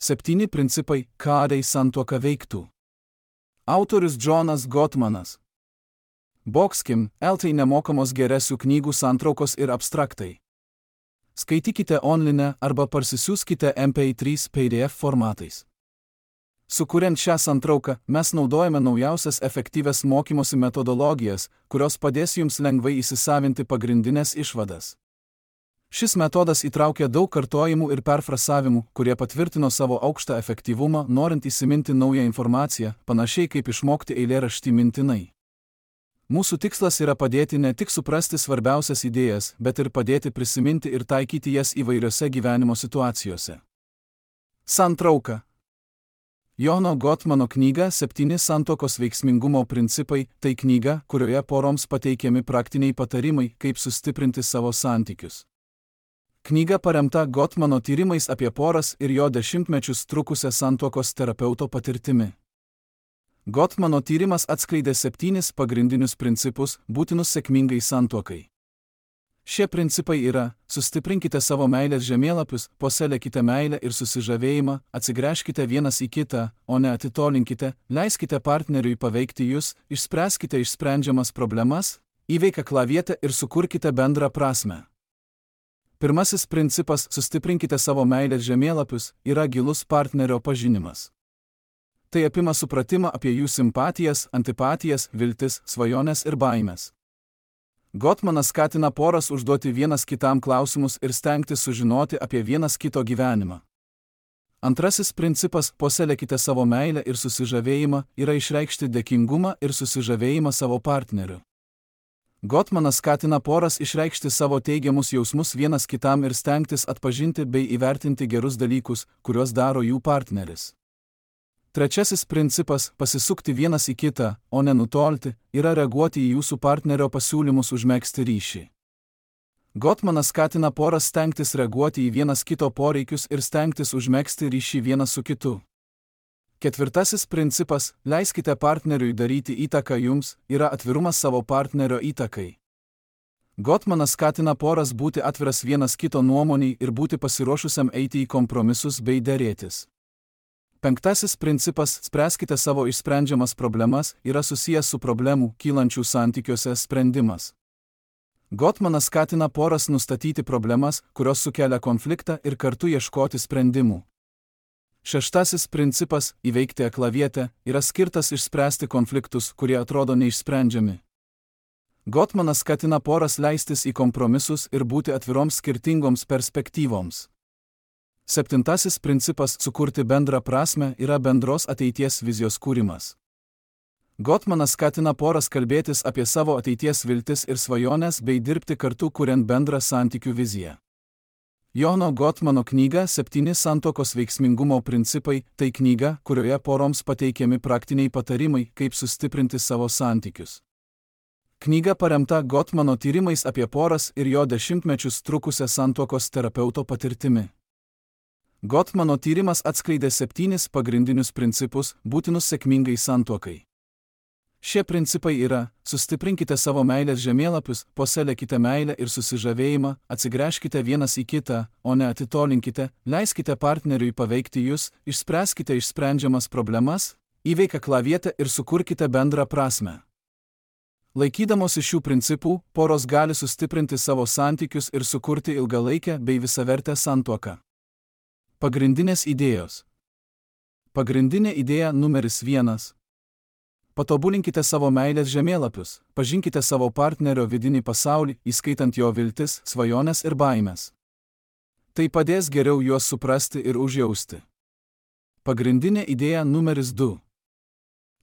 7 principai, kādai santuoka veiktų. Autorius Džonas Gottmanas. Boxkim, LT nemokamos geresių knygų santraukos ir abstraktai. Skaitykite online arba parsisiųskite MP3 PDF formatais. Sukuriant šią santrauką, mes naudojame naujausias efektyvias mokymosi metodologijas, kurios padės jums lengvai įsisavinti pagrindinės išvadas. Šis metodas įtraukia daug kartojimų ir perfrasavimų, kurie patvirtino savo aukštą efektyvumą, norint įsiminti naują informaciją, panašiai kaip išmokti eilėraštį mintinai. Mūsų tikslas yra padėti ne tik suprasti svarbiausias idėjas, bet ir padėti prisiminti ir taikyti jas įvairiose gyvenimo situacijose. Santrauka. Jono Gottmano knyga 7 santuokos veiksmingumo principai – tai knyga, kurioje poroms pateikiami praktiniai patarimai, kaip sustiprinti savo santykius. Knyga paremta Gottmano tyrimais apie poras ir jo dešimtmečius trukusią santuokos terapeuto patirtimi. Gottmano tyrimas atskleidė 7 pagrindinius principus, būtinus sėkmingai santuokai. Šie principai yra: sustiprinkite savo meilės žemėlapius, puoselėkite meilę ir susižavėjimą, atsigręžkite vienas į kitą, o ne atitolinkite, leiskite partneriui paveikti jūs, išspręskite išsprendžiamas problemas, įveikę klavietę ir sukurkite bendrą prasmę. Pirmasis principas – sustiprinkite savo meilės žemėlapius – yra gilus partnerio pažinimas. Tai apima supratimą apie jų simpatijas, antipatijas, viltis, svajones ir baimės. Gottmanas skatina poras užduoti vienas kitam klausimus ir stengtis sužinoti apie vienas kito gyvenimą. Antrasis principas – puoselėkite savo meilę ir susižavėjimą – yra išreikšti dėkingumą ir susižavėjimą savo partneriu. Gottmanas skatina poras išreikšti savo teigiamus jausmus vienas kitam ir stengtis atpažinti bei įvertinti gerus dalykus, kuriuos daro jų partneris. Trečiasis principas – pasisukti vienas į kitą, o ne nutolti, yra reaguoti į jūsų partnerio pasiūlymus užmegzti ryšį. Gottmanas skatina poras stengtis reaguoti į vienas kito poreikius ir stengtis užmegzti ryšį vienas su kitu. Ketvirtasis principas – leiskite partneriui daryti įtaką jums, yra atvirumas savo partnerio įtakai. Gottmanas skatina poras būti atviras vienas kito nuomoniai ir būti pasiruošusiam eiti į kompromisus bei derėtis. Penktasis principas – spręskite savo išsprendžiamas problemas, yra susijęs su problemų, kylančių santykiuose sprendimas. Gottmanas skatina poras nustatyti problemas, kurios sukelia konfliktą ir kartu ieškoti sprendimų. Šeštasis principas – įveikti aklavietę – yra skirtas išspręsti konfliktus, kurie atrodo neišsprendžiami. Gottmanas skatina poras leistis į kompromisus ir būti atviroms skirtingoms perspektyvoms. Septintasis principas – sukurti bendrą prasmę – yra bendros ateities vizijos kūrimas. Gottmanas skatina poras kalbėtis apie savo ateities viltis ir svajones bei dirbti kartu kuriant bendrą santykių viziją. Jono Gottmano knyga 7 santuokos veiksmingumo principai – tai knyga, kurioje poroms pateikiami praktiniai patarimai, kaip sustiprinti savo santykius. Knyga paremta Gottmano tyrimais apie poras ir jo dešimtmečius trukusią santuokos terapeuto patirtimi. Gottmano tyrimas atskleidė 7 pagrindinius principus, būtinus sėkmingai santuokai. Šie principai yra: sustiprinkite savo meilės žemėlapius, puoselėkite meilę ir susižavėjimą, atsigręžkite vienas į kitą, o ne atitolinkite, leiskite partneriui paveikti jūs, išspręskite išsprendžiamas problemas, įveikę klavietę ir sukurkite bendrą prasmę. Laikydamosi šių principų, poros gali sustiprinti savo santykius ir sukurti ilgalaikę bei visavertę santuoką. Pagrindinės idėjos. Pagrindinė idėja numeris 1. Patobulinkite savo meilės žemėlapius, pažinkite savo partnerio vidinį pasaulį, įskaitant jo viltis, svajones ir baimės. Tai padės geriau juos suprasti ir užjausti. Pagrindinė idėja numeris 2.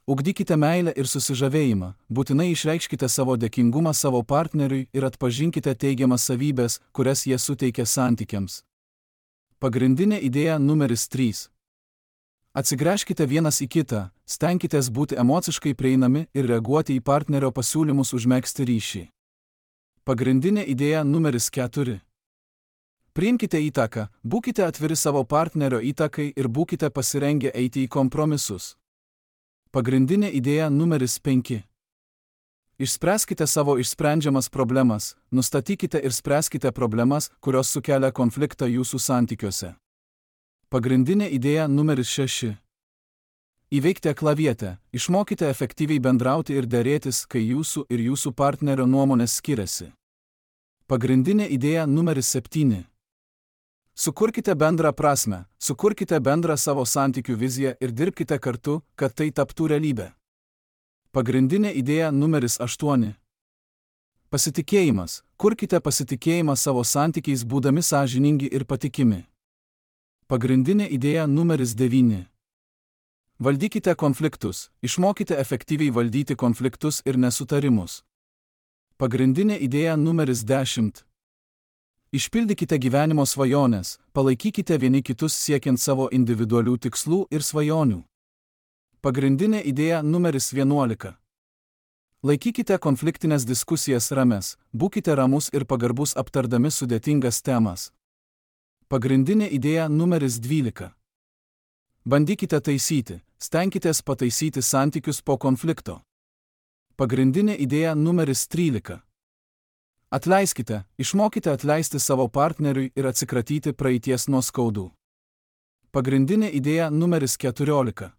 Ugdykite meilę ir susižavėjimą, būtinai išreikškite savo dėkingumą savo partneriui ir atpažinkite teigiamas savybės, kurias jie suteikia santykiams. Pagrindinė idėja numeris 3. Atsigręžkite vienas į kitą, stenkitės būti emociškai prieinami ir reaguoti į partnerio pasiūlymus užmegzti ryšį. Pagrindinė idėja numeris 4. Priimkite įtaką, būkite atviri savo partnerio įtakai ir būkite pasirengę eiti į kompromisus. Pagrindinė idėja numeris 5. Išspręskite savo išsprendžiamas problemas, nustatykite ir spręskite problemas, kurios sukelia konfliktą jūsų santykiuose. Pagrindinė idėja numeris 6. Įveikite aklavietę, išmokite efektyviai bendrauti ir derėtis, kai jūsų ir jūsų partnerio nuomonės skiriasi. Pagrindinė idėja numeris 7. Sukurkite bendrą prasmę, sukurkite bendrą savo santykių viziją ir dirbkite kartu, kad tai taptų realybė. Pagrindinė idėja numeris 8. Pasitikėjimas. Kurkite pasitikėjimą savo santykiais būdami sąžiningi ir patikimi. Pagrindinė idėja numeris 9. Valdykite konfliktus, išmokite efektyviai valdyti konfliktus ir nesutarimus. Pagrindinė idėja numeris 10. Išpildykite gyvenimo svajones, palaikykite vieni kitus siekiant savo individualių tikslų ir svajonių. Pagrindinė idėja numeris 11. Laikykite konfliktinės diskusijas rames, būkite ramus ir pagarbus aptardami sudėtingas temas. Pagrindinė idėja numeris 12. Bandykite taisyti, stenkitės pataisyti santykius po konflikto. Pagrindinė idėja numeris 13. Atleiskite, išmokite atleisti savo partneriui ir atsikratyti praeities nuoskaudų. Pagrindinė idėja numeris 14.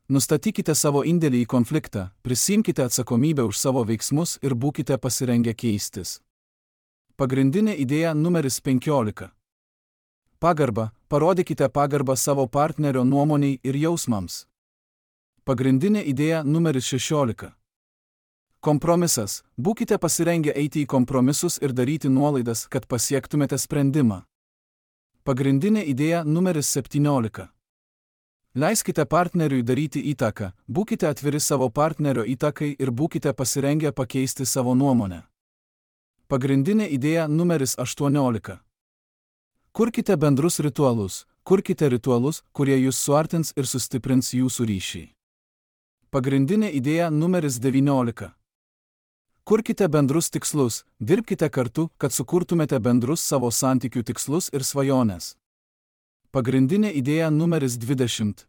Nustatykite savo indėlį į konfliktą, prisiimkite atsakomybę už savo veiksmus ir būkite pasirengę keistis. Pagrindinė idėja numeris 15. Pagarba, parodykite pagarbą savo partnerio nuomoniai ir jausmams. Pagrindinė idėja numeris 16. Kompromisas, būkite pasirengę eiti į kompromisus ir daryti nuolaidas, kad pasiektumėte sprendimą. Pagrindinė idėja numeris 17. Leiskite partneriui daryti įtaką, būkite atviri savo partnerio įtakai ir būkite pasirengę pakeisti savo nuomonę. Pagrindinė idėja numeris 18. Kurkite bendrus ritualus, kurie jūs suartins ir sustiprins jūsų ryšį. Pagrindinė idėja numeris 19. Kurkite bendrus tikslus, dirbkite kartu, kad sukurtumėte bendrus savo santykių tikslus ir svajones. Pagrindinė idėja numeris 20.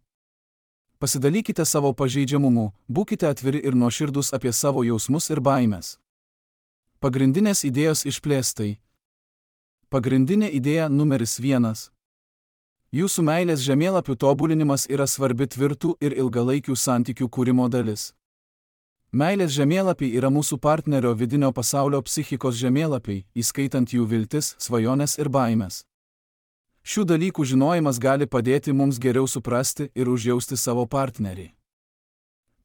Pasidalykite savo pažeidžiamumu, būkite atviri ir nuoširdūs apie savo jausmus ir baimes. Pagrindinės idėjos išplėstai. Pagrindinė idėja numeris 1. Jūsų meilės žemėlapių tobulinimas yra svarbi tvirtų ir ilgalaikių santykių kūrimo dalis. Meilės žemėlapiai yra mūsų partnerio vidinio pasaulio psichikos žemėlapiai, įskaitant jų viltis, svajones ir baimes. Šių dalykų žinojimas gali padėti mums geriau suprasti ir užjausti savo partnerį.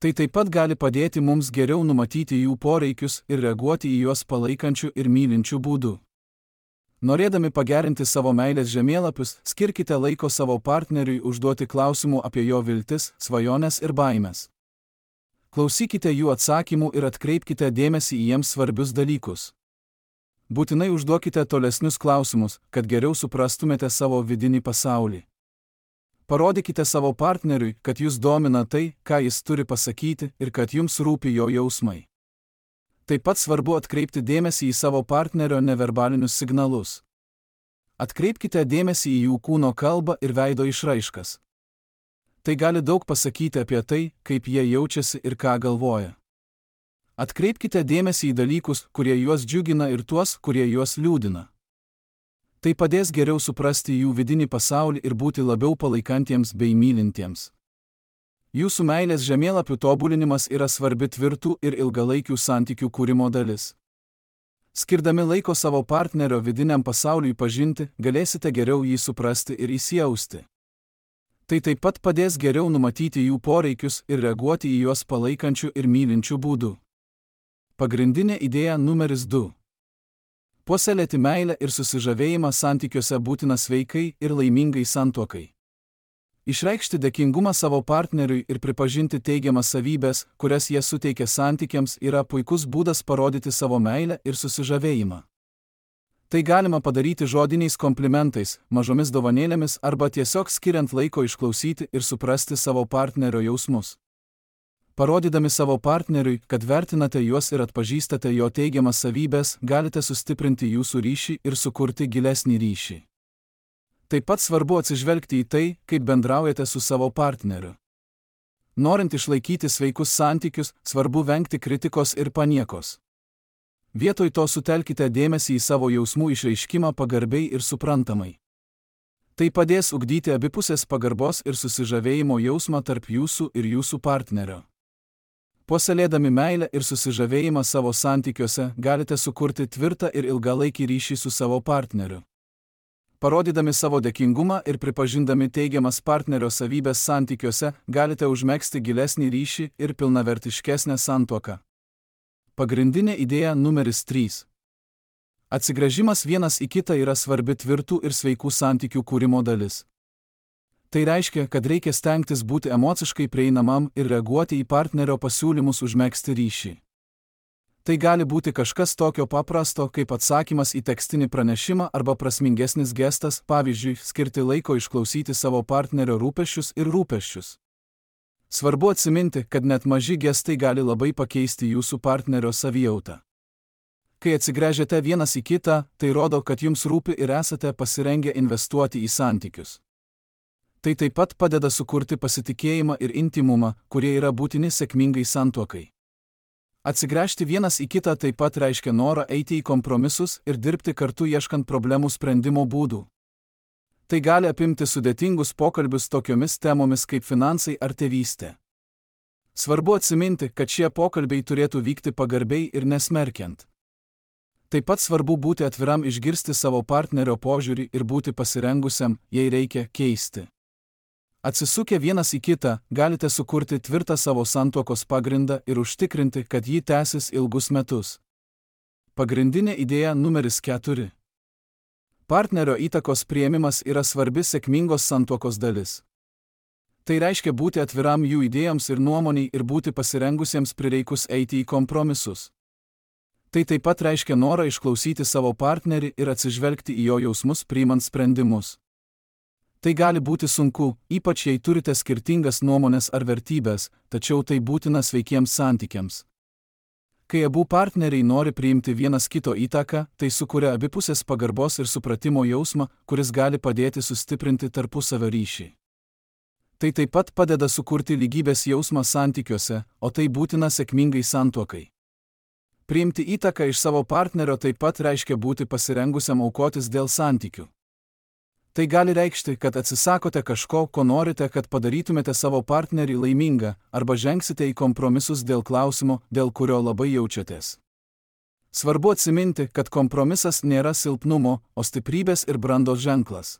Tai taip pat gali padėti mums geriau numatyti jų poreikius ir reaguoti į juos palaikančių ir mylinčių būdų. Norėdami pagerinti savo meilės žemėlapius, skirkite laiko savo partneriui užduoti klausimų apie jo viltis, svajones ir baimes. Klausykite jų atsakymų ir atkreipkite dėmesį į jiems svarbius dalykus. Būtinai užduokite tolesnius klausimus, kad geriau suprastumėte savo vidinį pasaulį. Parodykite savo partneriui, kad jūs domina tai, ką jis turi pasakyti ir kad jums rūpi jo jausmai. Taip pat svarbu atkreipti dėmesį į savo partnerio neverbalinius signalus. Atkreipkite dėmesį į jų kūno kalbą ir veido išraiškas. Tai gali daug pasakyti apie tai, kaip jie jaučiasi ir ką galvoja. Atkreipkite dėmesį į dalykus, kurie juos džiugina ir tuos, kurie juos liūdina. Tai padės geriau suprasti jų vidinį pasaulį ir būti labiau palaikantiems bei mylintiems. Jūsų meilės žemėlapių tobulinimas yra svarbi tvirtų ir ilgalaikių santykių kūrimo dalis. Skirdami laiko savo partnerio vidiniam pasauliui pažinti, galėsite geriau jį suprasti ir įsijausti. Tai taip pat padės geriau numatyti jų poreikius ir reaguoti į juos palaikančių ir mylinčių būdų. Pagrindinė idėja numeris 2. Puoselėti meilę ir susižavėjimą santykiuose būtina sveikai ir laimingai santuokai. Išreikšti dėkingumą savo partneriui ir pripažinti teigiamas savybės, kurias jie suteikia santykiams, yra puikus būdas parodyti savo meilę ir susižavėjimą. Tai galima padaryti žodiniais komplimentais, mažomis dovanėlėmis arba tiesiog skiriant laiko išklausyti ir suprasti savo partnerio jausmus. Parodydami savo partneriui, kad vertinate juos ir atpažįstate jo teigiamas savybės, galite sustiprinti jūsų ryšį ir sukurti gilesnį ryšį. Taip pat svarbu atsižvelgti į tai, kaip bendraujate su savo partneriu. Norint išlaikyti sveikus santykius, svarbu vengti kritikos ir paniekos. Vietoj to sutelkite dėmesį į savo jausmų išreiškimą pagarbiai ir suprantamai. Tai padės ugdyti abipusės pagarbos ir susižavėjimo jausmą tarp jūsų ir jūsų partnerio. Puoselėdami meilę ir susižavėjimą savo santykiuose galite sukurti tvirtą ir ilgalaikį ryšį su savo partneriu. Parodydami savo dėkingumą ir pripažindami teigiamas partnerio savybės santykiuose galite užmegzti gilesnį ryšį ir pilnavertiškesnę santuoką. Pagrindinė idėja numeris 3. Atsigręžimas vienas į kitą yra svarbi tvirtų ir sveikų santykių kūrimo dalis. Tai reiškia, kad reikia stengtis būti emociškai prieinamam ir reaguoti į partnerio pasiūlymus užmegzti ryšį. Tai gali būti kažkas tokio paprasto, kaip atsakymas į tekstinį pranešimą arba prasmingesnis gestas, pavyzdžiui, skirti laiko išklausyti savo partnerio rūpesčius ir rūpesčius. Svarbu atsiminti, kad net maži gestai gali labai pakeisti jūsų partnerio savijautą. Kai atsigręžiate vienas į kitą, tai rodo, kad jums rūpi ir esate pasirengę investuoti į santykius. Tai taip pat padeda sukurti pasitikėjimą ir intymumą, kurie yra būtini sėkmingai santuokai. Atsigręžti vienas į kitą taip pat reiškia norą eiti į kompromisus ir dirbti kartu ieškant problemų sprendimo būdų. Tai gali apimti sudėtingus pokalbius tokiomis temomis kaip finansai ar tėvystė. Svarbu atsiminti, kad šie pokalbiai turėtų vykti pagarbiai ir nesmerkiant. Taip pat svarbu būti atviram išgirsti savo partnerio požiūrį ir būti pasirengusiam, jei reikia, keisti. Atsisukę vienas į kitą, galite sukurti tvirtą savo santuokos pagrindą ir užtikrinti, kad ji tęsis ilgus metus. Pagrindinė idėja numeris 4. Partnerio įtakos priėmimas yra svarbi sėkmingos santuokos dalis. Tai reiškia būti atviram jų idėjoms ir nuomoniai ir būti pasirengusiems prireikus eiti į kompromisus. Tai taip pat reiškia norą išklausyti savo partnerį ir atsižvelgti į jo jausmus priimant sprendimus. Tai gali būti sunku, ypač jei turite skirtingas nuomonės ar vertybės, tačiau tai būtina sveikiems santykiams. Kai abu partneriai nori priimti vienas kito įtaką, tai sukuria abipusės pagarbos ir supratimo jausmą, kuris gali padėti sustiprinti tarpusavio ryšį. Tai taip pat padeda sukurti lygybės jausmą santykiuose, o tai būtina sėkmingai santuokai. Priimti įtaką iš savo partnerio taip pat reiškia būti pasirengusiam aukotis dėl santykių. Tai gali reikšti, kad atsisakote kažko, ko norite, kad padarytumėte savo partnerį laimingą, arba žengsite į kompromisus dėl klausimo, dėl kurio labai jaučiatės. Svarbu atsiminti, kad kompromisas nėra silpnumo, o stiprybės ir brandos ženklas.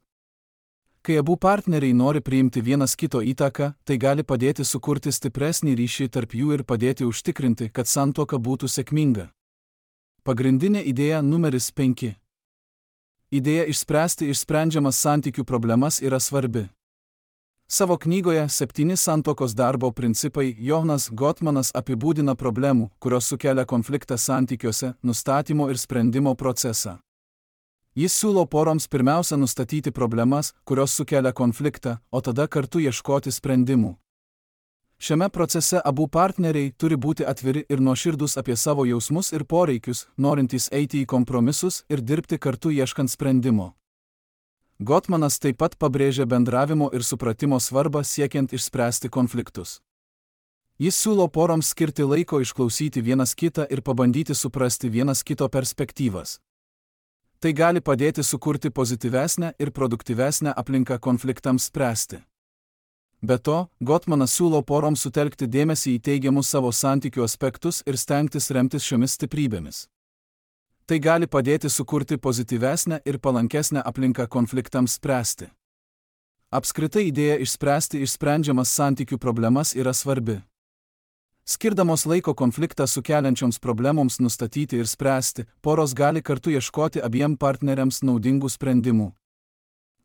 Kai abu partneriai nori priimti vienas kito įtaką, tai gali padėti sukurti stipresnį ryšį tarp jų ir padėti užtikrinti, kad santuoka būtų sėkminga. Pagrindinė idėja numeris 5. Idėja išspręsti išsprendžiamas santykių problemas yra svarbi. Savo knygoje 7 santuokos darbo principai Jonas Gottmanas apibūdina problemų, kurios sukelia konfliktą santykiuose, nustatymo ir sprendimo procesą. Jis siūlo poroms pirmiausia nustatyti problemas, kurios sukelia konfliktą, o tada kartu ieškoti sprendimų. Šiame procese abu partneriai turi būti atviri ir nuoširdūs apie savo jausmus ir poreikius, norintys eiti į kompromisus ir dirbti kartu ieškant sprendimo. Gottmanas taip pat pabrėžia bendravimo ir supratimo svarbą siekiant išspręsti konfliktus. Jis siūlo poroms skirti laiko išklausyti vienas kitą ir pabandyti suprasti vienas kito perspektyvas. Tai gali padėti sukurti pozityvesnę ir produktyvesnę aplinką konfliktams spręsti. Be to, Gottmanas siūlo poroms sutelkti dėmesį į teigiamus savo santykių aspektus ir stengtis remtis šiomis stiprybėmis. Tai gali padėti sukurti pozityvesnę ir palankesnę aplinką konfliktams spręsti. Apskritai idėja išspręsti išsprendžiamas santykių problemas yra svarbi. Skirdamos laiko konfliktą sukeliančioms problemoms nustatyti ir spręsti, poros gali kartu ieškoti abiem partneriams naudingų sprendimų.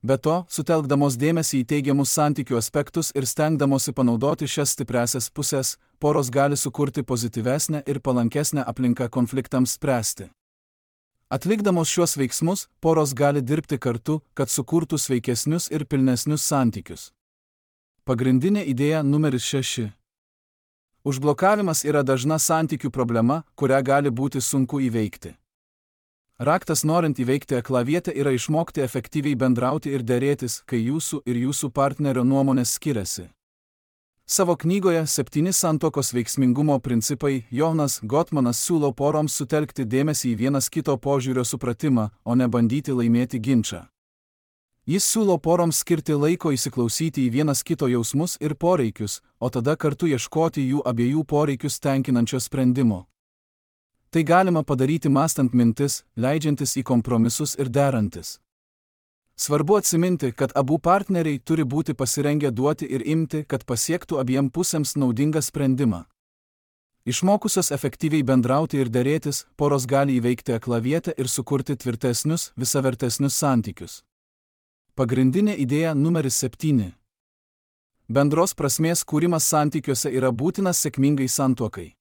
Be to, sutelkdamos dėmesį į teigiamus santykių aspektus ir stengdamosi panaudoti šias stipriąsias pusės, poros gali sukurti pozityvesnę ir palankesnę aplinką konfliktams spręsti. Atlikdamos šiuos veiksmus, poros gali dirbti kartu, kad sukurtų sveikesnius ir pilnesnius santykius. Pagrindinė idėja numeris 6. Užblokavimas yra dažna santykių problema, kurią gali būti sunku įveikti. Raktas norint įveikti aklavietę yra išmokti efektyviai bendrauti ir derėtis, kai jūsų ir jūsų partnerio nuomonės skiriasi. Savo knygoje 7 santuokos veiksmingumo principai Jonas Gottmanas siūlo poroms sutelkti dėmesį į vienas kito požiūrio supratimą, o ne bandyti laimėti ginčą. Jis siūlo poroms skirti laiko įsiklausyti į vienas kito jausmus ir poreikius, o tada kartu ieškoti jų abiejų poreikius tenkinančio sprendimo. Tai galima padaryti mąstant mintis, leidžiantis į kompromisus ir derantis. Svarbu atsiminti, kad abu partneriai turi būti pasirengę duoti ir imti, kad pasiektų abiem pusėms naudingą sprendimą. Išmokusios efektyviai bendrauti ir derėtis, poros gali įveikti aklavietę ir sukurti tvirtesnius, visavertesnius santykius. Pagrindinė idėja numeris 7. Bendros prasmės kūrimas santykiuose yra būtinas sėkmingai santuokai.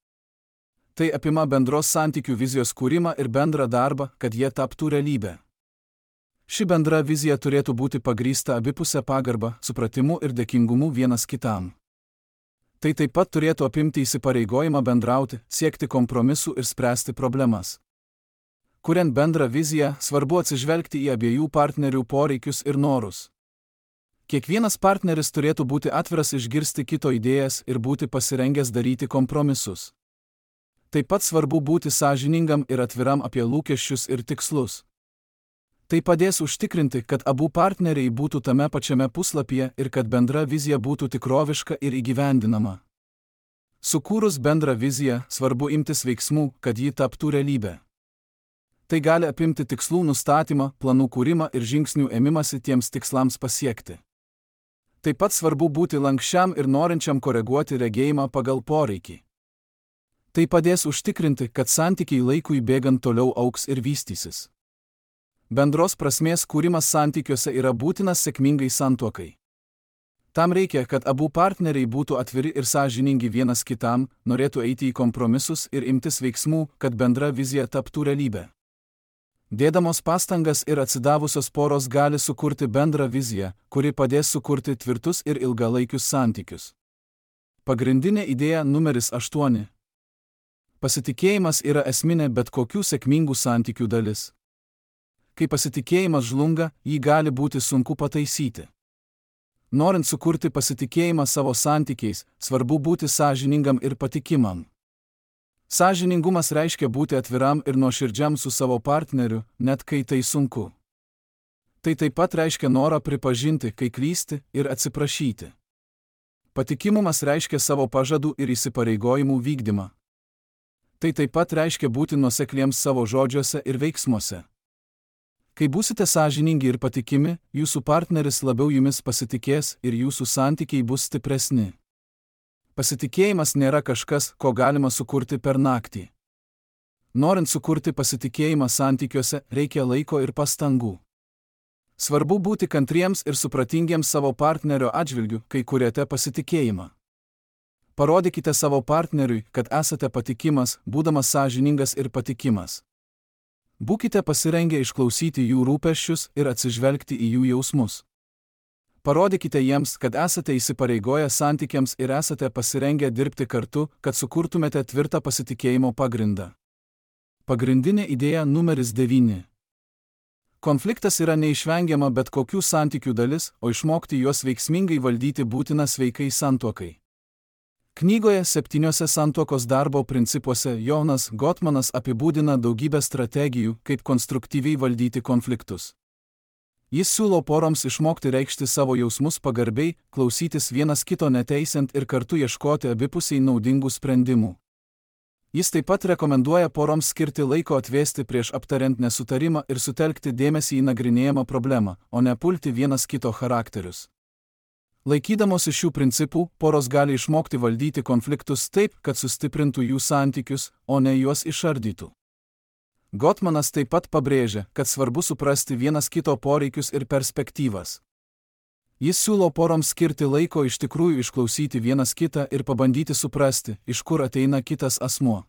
Tai apima bendros santykių vizijos kūrimą ir bendrą darbą, kad jie taptų realybę. Ši bendra vizija turėtų būti pagrįsta abipusę pagarbą, supratimu ir dėkingumu vienas kitam. Tai taip pat turėtų apimti įsipareigojimą bendrauti, siekti kompromisų ir spręsti problemas. Kuriant bendrą viziją, svarbu atsižvelgti į abiejų partnerių poreikius ir norus. Kiekvienas partneris turėtų būti atviras išgirsti kito idėjas ir būti pasirengęs daryti kompromisus. Taip pat svarbu būti sąžiningam ir atviram apie lūkesčius ir tikslus. Tai padės užtikrinti, kad abu partneriai būtų tame pačiame puslapyje ir kad bendra vizija būtų tikroviška ir įgyvendinama. Sukūrus bendrą viziją, svarbu imtis veiksmų, kad ji taptų realybę. Tai gali apimti tikslų nustatymą, planų kūrimą ir žingsnių ėmimąsi tiems tikslams pasiekti. Taip pat svarbu būti lankščiam ir norinčiam koreguoti regėjimą pagal poreikį. Tai padės užtikrinti, kad santykiai laikui bėgant toliau augs ir vystysis. Bendros prasmės kūrimas santykiuose yra būtinas sėkmingai santuokai. Tam reikia, kad abu partneriai būtų atviri ir sąžiningi vienas kitam, norėtų eiti į kompromisus ir imtis veiksmų, kad bendra vizija taptų realybę. Dėdamos pastangas ir atsidavusios poros gali sukurti bendrą viziją, kuri padės sukurti tvirtus ir ilgalaikius santykius. Pagrindinė idėja numeris 8. Pasitikėjimas yra esminė bet kokių sėkmingų santykių dalis. Kai pasitikėjimas žlunga, jį gali būti sunku pataisyti. Norint sukurti pasitikėjimą savo santykiais, svarbu būti sąžiningam ir patikimam. Sąžiningumas reiškia būti atviram ir nuoširdžiam su savo partneriu, net kai tai sunku. Tai taip pat reiškia norą pripažinti, kai klysti, ir atsiprašyti. Patikimumas reiškia savo pažadų ir įsipareigojimų vykdymą. Tai taip pat reiškia būti nuosekliems savo žodžiuose ir veiksmuose. Kai būsite sąžiningi ir patikimi, jūsų partneris labiau jumis pasitikės ir jūsų santykiai bus stipresni. Pasitikėjimas nėra kažkas, ko galima sukurti per naktį. Norint sukurti pasitikėjimą santykiuose, reikia laiko ir pastangų. Svarbu būti kantriems ir supratingiems savo partnerio atžvilgiu, kai kuriate pasitikėjimą. Parodykite savo partneriui, kad esate patikimas, būdamas sąžiningas ir patikimas. Būkite pasirengę išklausyti jų rūpesčius ir atsižvelgti į jų jausmus. Parodykite jiems, kad esate įsipareigoję santykiams ir esate pasirengę dirbti kartu, kad sukurtumėte tvirtą pasitikėjimo pagrindą. Pagrindinė idėja numeris 9. Konfliktas yra neišvengiama bet kokių santykių dalis, o išmokti juos veiksmingai valdyti būtina sveikai santuokai. Knygoje 7 santuokos darbo principuose Jonas Gottmanas apibūdina daugybę strategijų, kaip konstruktyviai valdyti konfliktus. Jis siūlo poroms išmokti reikšti savo jausmus pagarbiai, klausytis vienas kito neteisiant ir kartu ieškoti abipusiai naudingų sprendimų. Jis taip pat rekomenduoja poroms skirti laiko atvėsti prieš aptariant nesutarimą ir sutelkti dėmesį į nagrinėjamą problemą, o ne pulti vienas kito charakterius. Laikydamosi šių principų, poros gali išmokti valdyti konfliktus taip, kad sustiprintų jų santykius, o ne juos išardytų. Gottmanas taip pat pabrėžia, kad svarbu suprasti vienas kito poreikius ir perspektyvas. Jis siūlo poroms skirti laiko iš tikrųjų išklausyti vienas kitą ir pabandyti suprasti, iš kur ateina kitas asmuo.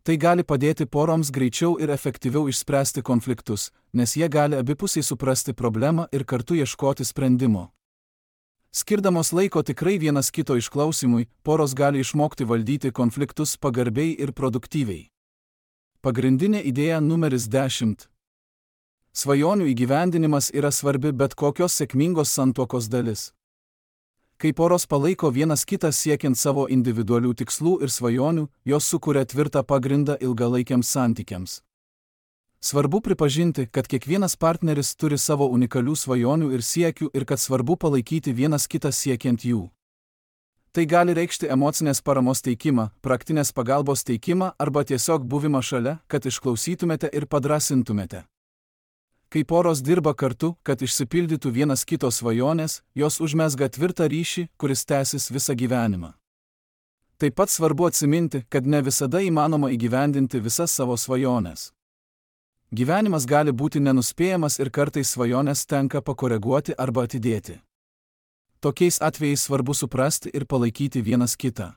Tai gali padėti poroms greičiau ir efektyviau išspręsti konfliktus, nes jie gali abipusiai suprasti problemą ir kartu ieškoti sprendimo. Skirdamos laiko tikrai vienas kito išklausimui, poros gali išmokti valdyti konfliktus pagarbiai ir produktyviai. Pagrindinė idėja numeris 10. Svajonių įgyvendinimas yra svarbi bet kokios sėkmingos santuokos dalis. Kai poros palaiko vienas kitą siekiant savo individualių tikslų ir svajonių, jos sukuria tvirtą pagrindą ilgalaikiams santykiams. Svarbu pripažinti, kad kiekvienas partneris turi savo unikalių svajonių ir siekių ir kad svarbu palaikyti vienas kitą siekiant jų. Tai gali reikšti emocinės paramos teikimą, praktinės pagalbos teikimą arba tiesiog buvimą šalia, kad išklausytumėte ir padrasintumėte. Kai poros dirba kartu, kad išsipildytų vienas kito svajonės, jos užmezga tvirtą ryšį, kuris tęsis visą gyvenimą. Taip pat svarbu atsiminti, kad ne visada įmanoma įgyvendinti visas savo svajones. Gyvenimas gali būti nenuspėjamas ir kartais svajonės tenka pakoreguoti arba atidėti. Tokiais atvejais svarbu suprasti ir palaikyti vienas kitą.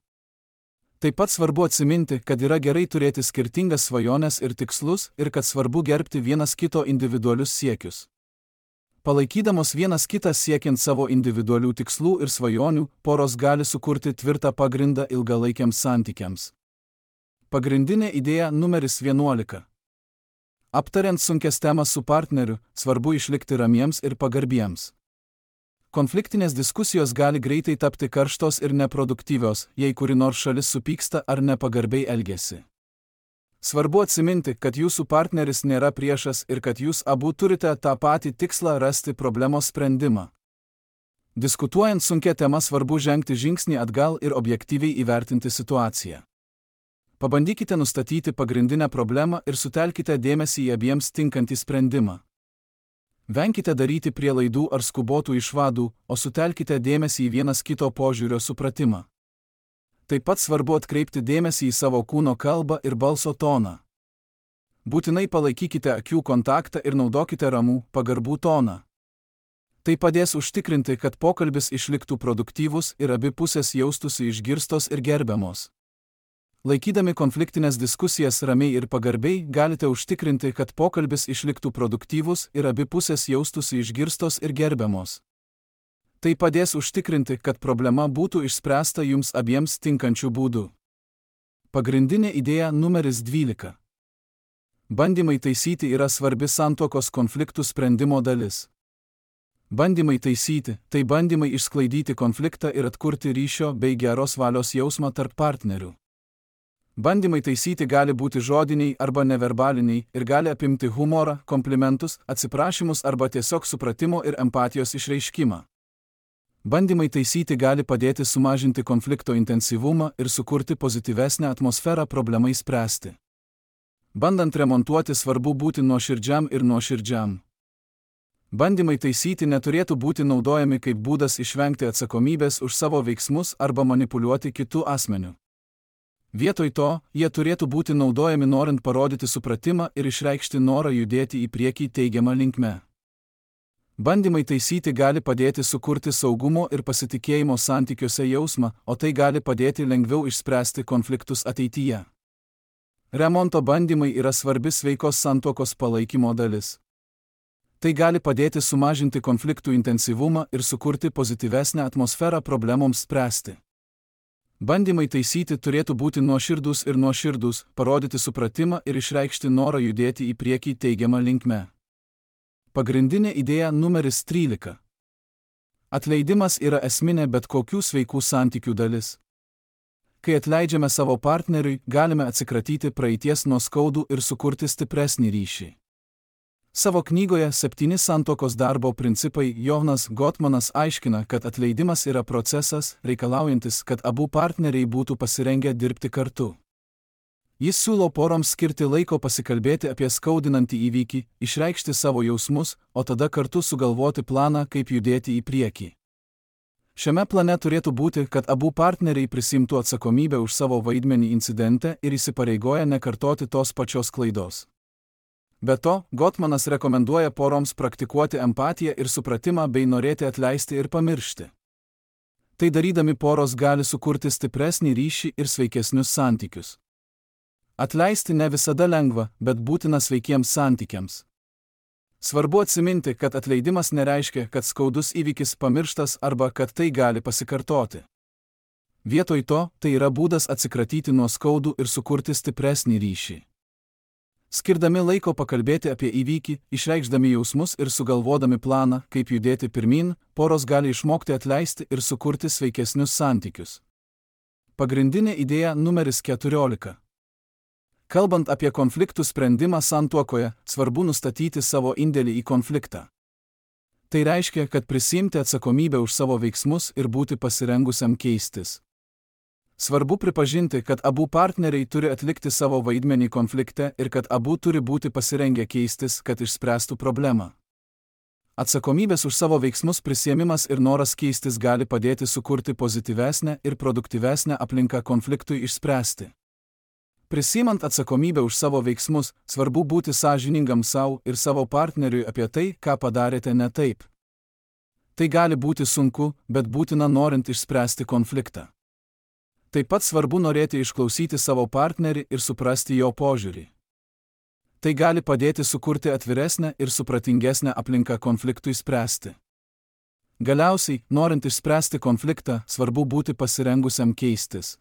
Taip pat svarbu atsiminti, kad yra gerai turėti skirtingas svajones ir tikslus ir kad svarbu gerbti vienas kito individualius siekius. Palaikydamos vienas kitą siekiant savo individualių tikslų ir svajonių, poros gali sukurti tvirtą pagrindą ilgalaikiams santykiams. Pagrindinė idėja numeris 11. Aptariant sunkias temas su partneriu, svarbu išlikti ramiems ir pagarbiems. Konfliktinės diskusijos gali greitai tapti karštos ir neproduktyvios, jei kuri nors šalis supyksta ar nepagarbiai elgiasi. Svarbu atsiminti, kad jūsų partneris nėra priešas ir kad jūs abu turite tą patį tikslą rasti problemos sprendimą. Diskutuojant sunkia tema svarbu žengti žingsnį atgal ir objektyviai įvertinti situaciją. Pabandykite nustatyti pagrindinę problemą ir sutelkite dėmesį į abiems tinkantį sprendimą. Venkite daryti prielaidų ar skubotų išvadų, o sutelkite dėmesį į vienas kito požiūrio supratimą. Taip pat svarbu atkreipti dėmesį į savo kūno kalbą ir balso toną. Būtinai palaikykite akių kontaktą ir naudokite ramų, pagarbų toną. Tai padės užtikrinti, kad pokalbis išliktų produktyvus ir abi pusės jaustųsi išgirstos ir gerbiamos. Laikydami konfliktinės diskusijas ramiai ir pagarbiai, galite užtikrinti, kad pokalbis išliktų produktyvus ir abi pusės jaustųsi išgirstos ir gerbiamos. Tai padės užtikrinti, kad problema būtų išspręsta jums abiems tinkančių būdų. Pagrindinė idėja numeris 12. Bandymai taisyti yra svarbi santuokos konfliktų sprendimo dalis. Bandymai taisyti – tai bandymai išsklaidyti konfliktą ir atkurti ryšio bei geros valios jausmą tarp partnerių. Bandymai taisyti gali būti žodiniai arba neverbaliniai ir gali apimti humorą, komplimentus, atsiprašymus arba tiesiog supratimo ir empatijos išreiškimą. Bandymai taisyti gali padėti sumažinti konflikto intensyvumą ir sukurti pozityvesnę atmosferą problemai spręsti. Bandant remontuoti svarbu būti nuoširdžiam ir nuoširdžiam. Bandymai taisyti neturėtų būti naudojami kaip būdas išvengti atsakomybės už savo veiksmus arba manipuliuoti kitų asmenių. Vietoj to, jie turėtų būti naudojami norint parodyti supratimą ir išreikšti norą judėti į priekį teigiamą linkme. Bandymai taisyti gali padėti sukurti saugumo ir pasitikėjimo santykiuose jausmą, o tai gali padėti lengviau išspręsti konfliktus ateityje. Remonto bandymai yra svarbi sveikos santuokos palaikymo dalis. Tai gali padėti sumažinti konfliktų intensyvumą ir sukurti pozityvesnę atmosferą problemoms spręsti. Bandymai taisyti turėtų būti nuoširdūs, parodyti supratimą ir išreikšti norą judėti į priekį teigiamą linkme. Pagrindinė idėja numeris 13. Atleidimas yra esminė bet kokių sveikų santykių dalis. Kai atleidžiame savo partneriui, galime atsikratyti praeities nuoskaudų ir sukurti stipresnį ryšį. Savo knygoje 7 santuokos darbo principai Jonas Gottmanas aiškina, kad atleidimas yra procesas, reikalaujantis, kad abu partneriai būtų pasirengę dirbti kartu. Jis siūlo poroms skirti laiko pasikalbėti apie skaudinantį įvykį, išreikšti savo jausmus, o tada kartu sugalvoti planą, kaip judėti į priekį. Šiame plane turėtų būti, kad abu partneriai prisimtų atsakomybę už savo vaidmenį incidente ir įsipareigoja nekartoti tos pačios klaidos. Be to, Gottmanas rekomenduoja poroms praktikuoti empatiją ir supratimą bei norėti atleisti ir pamiršti. Tai darydami poros gali sukurti stipresnį ryšį ir sveikesnius santykius. Atleisti ne visada lengva, bet būtina sveikiems santykiams. Svarbu atsiminti, kad atleidimas nereiškia, kad skaudus įvykis pamirštas arba kad tai gali pasikartoti. Vietoj to, tai yra būdas atsikratyti nuo skaudų ir sukurti stipresnį ryšį. Skirdami laiko pakalbėti apie įvykį, išreikšdami jausmus ir sugalvodami planą, kaip judėti pirmin, poros gali išmokti atleisti ir sukurti sveikesnius santykius. Pagrindinė idėja numeris 14. Kalbant apie konfliktų sprendimą santuokoje, svarbu nustatyti savo indėlį į konfliktą. Tai reiškia, kad prisiimti atsakomybę už savo veiksmus ir būti pasirengusiam keistis. Svarbu pripažinti, kad abu partneriai turi atlikti savo vaidmenį konflikte ir kad abu turi būti pasirengę keistis, kad išspręstų problemą. Atsakomybės už savo veiksmus prisiėmimas ir noras keistis gali padėti sukurti pozityvesnę ir produktyvesnę aplinką konfliktui išspręsti. Prisiimant atsakomybę už savo veiksmus, svarbu būti sąžiningam savo ir savo partneriui apie tai, ką padarėte ne taip. Tai gali būti sunku, bet būtina norint išspręsti konfliktą. Taip pat svarbu norėti išklausyti savo partnerį ir suprasti jo požiūrį. Tai gali padėti sukurti atviresnę ir supratingesnę aplinką konfliktui spręsti. Galiausiai, norint išspręsti konfliktą, svarbu būti pasirengusiam keistis.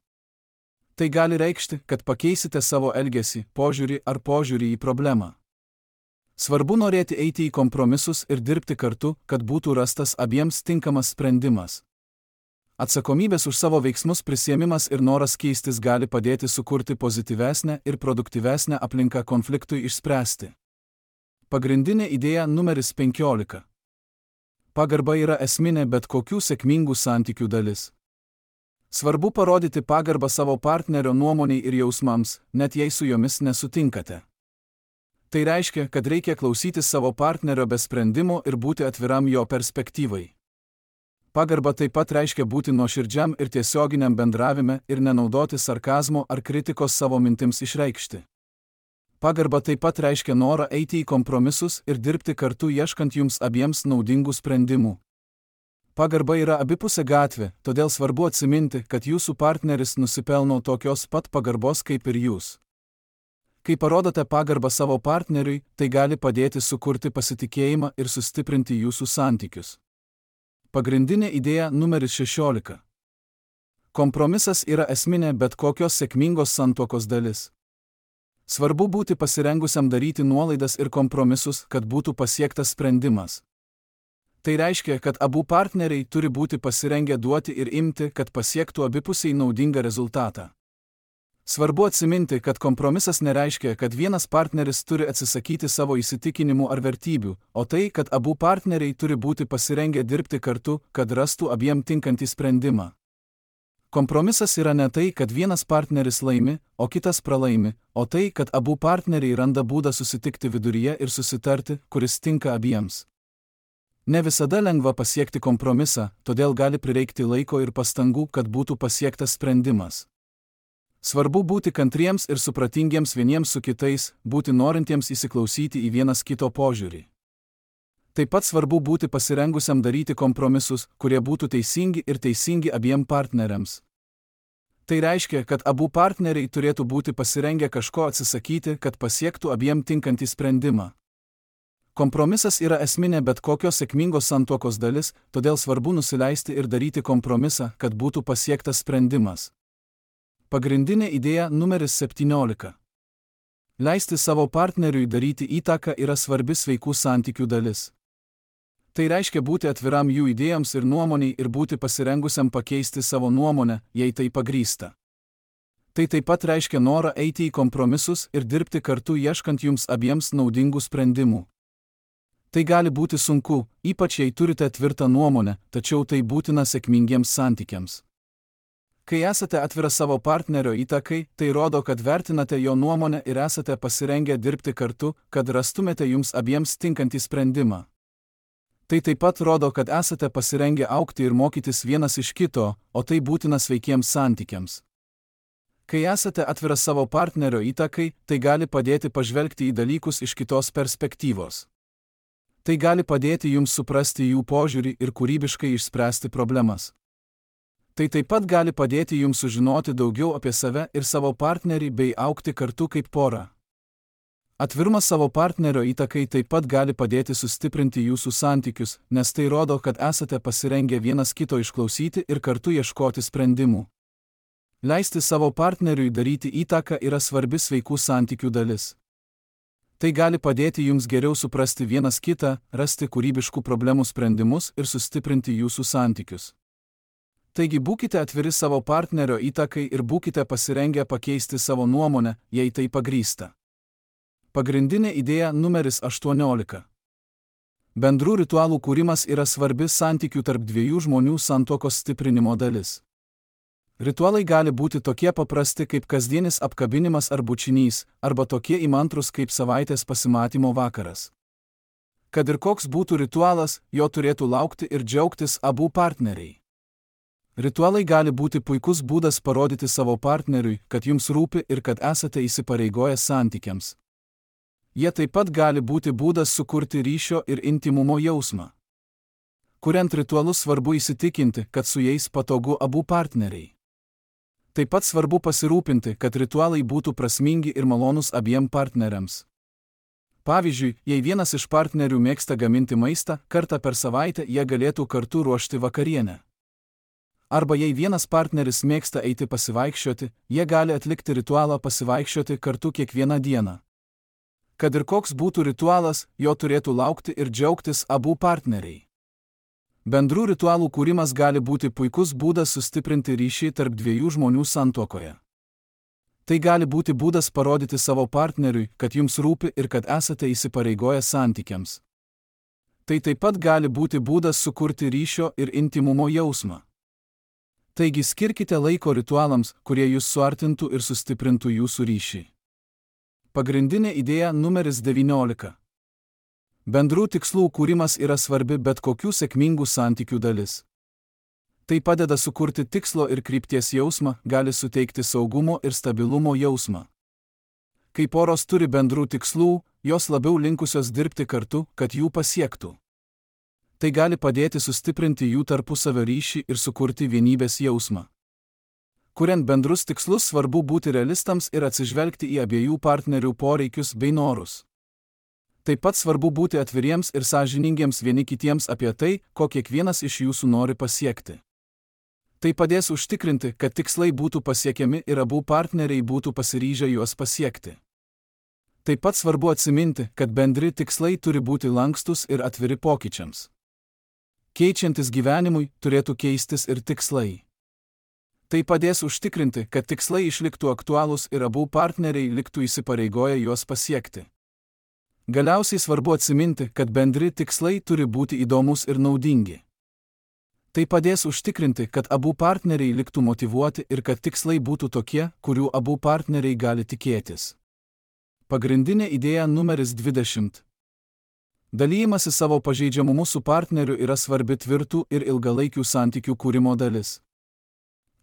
Tai gali reikšti, kad pakeisite savo elgesį, požiūrį ar požiūrį į problemą. Svarbu norėti eiti į kompromisus ir dirbti kartu, kad būtų rastas abiems tinkamas sprendimas. Atsakomybės už savo veiksmus prisiėmimas ir noras keistis gali padėti sukurti pozityvesnę ir produktyvesnę aplinką konfliktui išspręsti. Pagrindinė idėja numeris 15. Pagarba yra esminė bet kokių sėkmingų santykių dalis. Svarbu parodyti pagarbą savo partnerio nuomoniai ir jausmams, net jei su jomis nesutinkate. Tai reiškia, kad reikia klausytis savo partnerio be sprendimų ir būti atviram jo perspektyvai. Pagarba taip pat reiškia būti nuoširdžiam ir tiesioginiam bendravime ir nenaudoti sarkazmo ar kritikos savo mintims išreikšti. Pagarba taip pat reiškia norą eiti į kompromisus ir dirbti kartu ieškant jums abiems naudingų sprendimų. Pagarba yra abipusė gatvė, todėl svarbu atsiminti, kad jūsų partneris nusipelno tokios pat pagarbos kaip ir jūs. Kai parodote pagarbą savo partneriui, tai gali padėti sukurti pasitikėjimą ir sustiprinti jūsų santykius. Pagrindinė idėja numeris 16. Kompromisas yra esminė bet kokios sėkmingos santuokos dalis. Svarbu būti pasirengusiam daryti nuolaidas ir kompromisus, kad būtų pasiektas sprendimas. Tai reiškia, kad abu partneriai turi būti pasirengę duoti ir imti, kad pasiektų abipusiai naudingą rezultatą. Svarbu atsiminti, kad kompromisas nereiškia, kad vienas partneris turi atsisakyti savo įsitikinimų ar vertybių, o tai, kad abu partneriai turi būti pasirengę dirbti kartu, kad rastų abiem tinkantį sprendimą. Kompromisas yra ne tai, kad vienas partneris laimi, o kitas pralaimi, o tai, kad abu partneriai randa būdą susitikti viduryje ir susitarti, kuris tinka abiems. Ne visada lengva pasiekti kompromisą, todėl gali prireikti laiko ir pastangų, kad būtų pasiektas sprendimas. Svarbu būti kantriems ir supratingiems vieniems su kitais, būti norintiems įsiklausyti į vienas kito požiūrį. Taip pat svarbu būti pasirengusiam daryti kompromisus, kurie būtų teisingi ir teisingi abiem partneriams. Tai reiškia, kad abu partneriai turėtų būti pasirengę kažko atsisakyti, kad pasiektų abiem tinkantį sprendimą. Kompromisas yra esminė bet kokios sėkmingos santuokos dalis, todėl svarbu nusileisti ir daryti kompromisą, kad būtų pasiektas sprendimas. Pagrindinė idėja numeris 17. Leisti savo partneriui daryti įtaką yra svarbi sveikų santykių dalis. Tai reiškia būti atviram jų idėjoms ir nuomoniai ir būti pasirengusiam pakeisti savo nuomonę, jei tai pagrįsta. Tai taip pat reiškia norą eiti į kompromisus ir dirbti kartu ieškant jums abiems naudingų sprendimų. Tai gali būti sunku, ypač jei turite tvirtą nuomonę, tačiau tai būtina sėkmingiems santykiams. Kai esate atvira savo partnerio įtakai, tai rodo, kad vertinate jo nuomonę ir esate pasirengę dirbti kartu, kad rastumėte jums abiems tinkantį sprendimą. Tai taip pat rodo, kad esate pasirengę augti ir mokytis vienas iš kito, o tai būtina sveikiems santykiams. Kai esate atvira savo partnerio įtakai, tai gali padėti pažvelgti į dalykus iš kitos perspektyvos. Tai gali padėti jums suprasti jų požiūrį ir kūrybiškai išspręsti problemas. Tai taip pat gali padėti jums sužinoti daugiau apie save ir savo partnerį bei augti kartu kaip pora. Atvirumas savo partnerio įtakai taip pat gali padėti sustiprinti jūsų santykius, nes tai rodo, kad esate pasirengę vienas kito išklausyti ir kartu ieškoti sprendimų. Leisti savo partneriui daryti įtaką yra svarbi sveikų santykių dalis. Tai gali padėti jums geriau suprasti vienas kitą, rasti kūrybiškų problemų sprendimus ir sustiprinti jūsų santykius. Taigi būkite atviri savo partnerio įtakai ir būkite pasirengę pakeisti savo nuomonę, jei tai pagrįsta. Pagrindinė idėja numeris 18. Bendrų ritualų kūrimas yra svarbi santykių tarp dviejų žmonių santuokos stiprinimo dalis. Ritualai gali būti tokie paprasti kaip kasdienis apkabinimas ar bučinys, arba tokie įmantrūs kaip savaitės pasimatymo vakaras. Kad ir koks būtų ritualas, jo turėtų laukti ir džiaugtis abu partneriai. Ritualai gali būti puikus būdas parodyti savo partneriui, kad jums rūpi ir kad esate įsipareigoję santykiams. Jie taip pat gali būti būdas sukurti ryšio ir intymumo jausmą. Kuriant ritualus svarbu įsitikinti, kad su jais patogu abu partneriai. Taip pat svarbu pasirūpinti, kad ritualai būtų prasmingi ir malonūs abiem partneriams. Pavyzdžiui, jei vienas iš partnerių mėgsta gaminti maistą, kartą per savaitę jie galėtų kartu ruošti vakarienę. Arba jei vienas partneris mėgsta eiti pasivaikščioti, jie gali atlikti ritualą pasivaikščioti kartu kiekvieną dieną. Kad ir koks būtų ritualas, jo turėtų laukti ir džiaugtis abu partneriai. Bendrų ritualų kūrimas gali būti puikus būdas sustiprinti ryšį tarp dviejų žmonių santuokoje. Tai gali būti būdas parodyti savo partneriui, kad jums rūpi ir kad esate įsipareigoję santykiams. Tai taip pat gali būti būdas sukurti ryšio ir intymumo jausmą. Taigi skirkite laiko ritualams, kurie jūs suartintų ir sustiprintų jūsų ryšį. Pagrindinė idėja numeris 19. Bendrų tikslų kūrimas yra svarbi bet kokių sėkmingų santykių dalis. Tai padeda sukurti tikslo ir krypties jausmą, gali suteikti saugumo ir stabilumo jausmą. Kai poros turi bendrų tikslų, jos labiau linkusios dirbti kartu, kad jų pasiektų. Tai gali padėti sustiprinti jų tarpusavio ryšį ir sukurti vienybės jausmą. Kuriant bendrus tikslus svarbu būti realistams ir atsižvelgti į abiejų partnerių poreikius bei norus. Taip pat svarbu būti atviriems ir sąžiningiems vieni kitiems apie tai, ko kiekvienas iš jūsų nori pasiekti. Tai padės užtikrinti, kad tikslai būtų pasiekiami ir abu partneriai būtų pasiryžę juos pasiekti. Taip pat svarbu atsiminti, kad bendri tikslai turi būti lankstus ir atviri pokyčiams. Keičiantis gyvenimui, turėtų keistis ir tikslai. Tai padės užtikrinti, kad tikslai išliktų aktualūs ir abu partneriai liktų įsipareigoję juos pasiekti. Galiausiai svarbu atsiminti, kad bendri tikslai turi būti įdomus ir naudingi. Tai padės užtikrinti, kad abu partneriai liktų motyvuoti ir kad tikslai būtų tokie, kurių abu partneriai gali tikėtis. Pagrindinė idėja numeris 20. Dalijimasi savo pažeidžiamumu su partneriu yra svarbi tvirtų ir ilgalaikių santykių kūrimo dalis.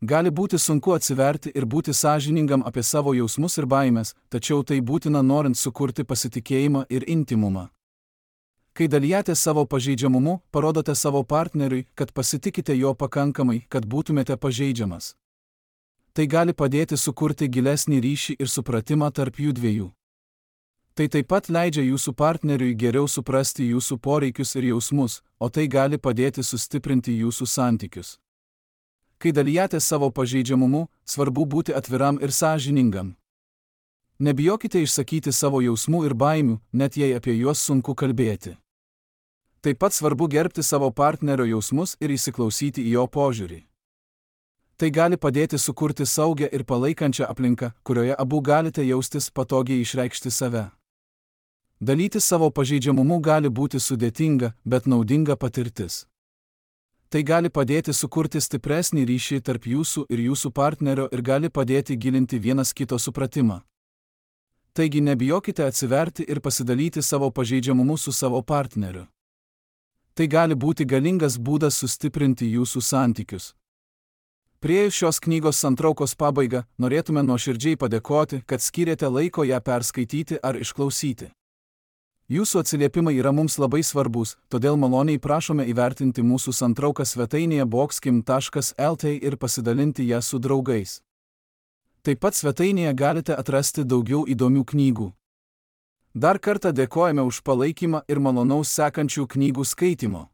Gali būti sunku atsiverti ir būti sąžiningam apie savo jausmus ir baimės, tačiau tai būtina norint sukurti pasitikėjimą ir intymumą. Kai dalijatės savo pažeidžiamumu, parodote savo partneriui, kad pasitikite jo pakankamai, kad būtumėte pažeidžiamas. Tai gali padėti sukurti gilesnį ryšį ir supratimą tarp jų dviejų. Tai taip pat leidžia jūsų partneriui geriau suprasti jūsų poreikius ir jausmus, o tai gali padėti sustiprinti jūsų santykius. Kai dalijatės savo pažeidžiamumu, svarbu būti atviram ir sąžiningam. Nebijokite išsakyti savo jausmų ir baimių, net jei apie juos sunku kalbėti. Taip pat svarbu gerbti savo partnerio jausmus ir įsiklausyti į jo požiūrį. Tai gali padėti sukurti saugią ir palaikančią aplinką, kurioje abu galite jaustis patogiai išreikšti save. Dalytis savo pažeidžiamumu gali būti sudėtinga, bet naudinga patirtis. Tai gali padėti sukurti stipresnį ryšį tarp jūsų ir jūsų partnerio ir gali padėti gilinti vienas kito supratimą. Taigi nebijokite atsiverti ir pasidalyti savo pažeidžiamumu su savo partneriu. Tai gali būti galingas būdas sustiprinti jūsų santykius. Priėjus šios knygos santraukos pabaigą, norėtume nuoširdžiai padėkoti, kad skyrėte laiko ją perskaityti ar išklausyti. Jūsų atsiliepimai yra mums labai svarbus, todėl maloniai prašome įvertinti mūsų santrauką svetainėje boxkim.lt ir pasidalinti ją su draugais. Taip pat svetainėje galite atrasti daugiau įdomių knygų. Dar kartą dėkojame už palaikymą ir malonaus sekančių knygų skaitimo.